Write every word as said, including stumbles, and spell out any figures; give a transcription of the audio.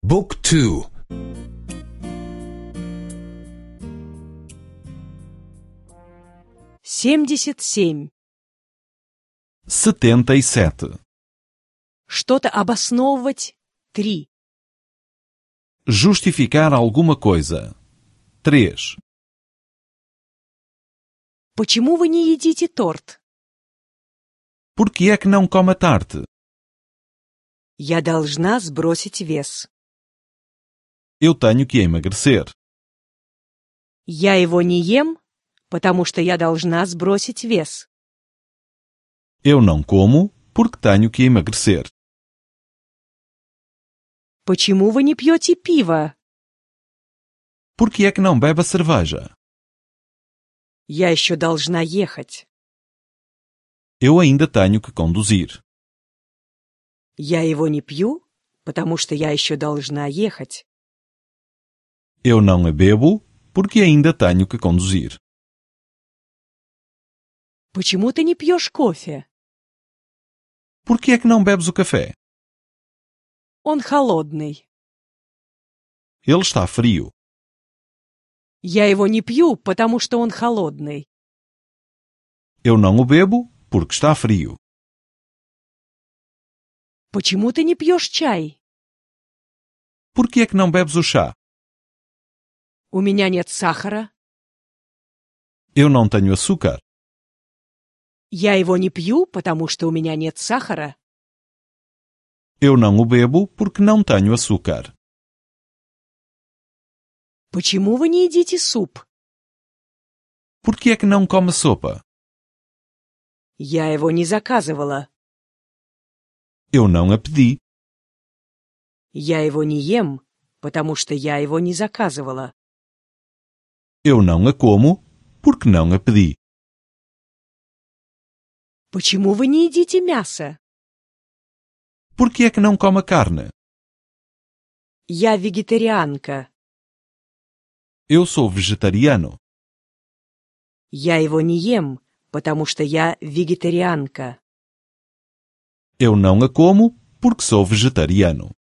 Book two. Семьдесят семь. Setenta e sete. Что-то обосновывать. Три. Justificar alguma coisa. Três. Почему вы не едите торт? Por que é que não come a tarte? Я должна сбросить вес. Eu tenho que emagrecer. Я его не ем, потому что я должна сбросить вес. Eu não como porque tenho que emagrecer. Почему вы не пьете пиво? Por que é que não bebe a cerveja? Я еще должна ехать. Eu ainda tenho que conduzir. Я его не пью, потому что я еще должна ехать. Eu não a bebo porque ainda tenho que conduzir. Почему ты не пьешь кофе? Por que é que não bebes o café? Он холодный. Ele está frio. Я его не пью, потому что он холодный. Eu não o bebo porque está frio. Почему ты не пьешь чай? Por que é que não bebes o chá? У меня нет сахара. Eu não tenho açúcar. Я его не пью, потому что у меня нет сахара. Eu não o bebo porque não tenho açúcar. Почему вы не едите суп? Por que é que não come sopa? Я его не заказывала. Eu não a pedi. Я его не ем, потому что я его не заказывала. Eu não a como porque não a pedi. Почему вы не едите мясо? Por que é que não come a carne? Я вегетарианка. Eu sou vegetariano. Я его не ем, потому что я вегетарианка. Eu não a como porque sou vegetariano.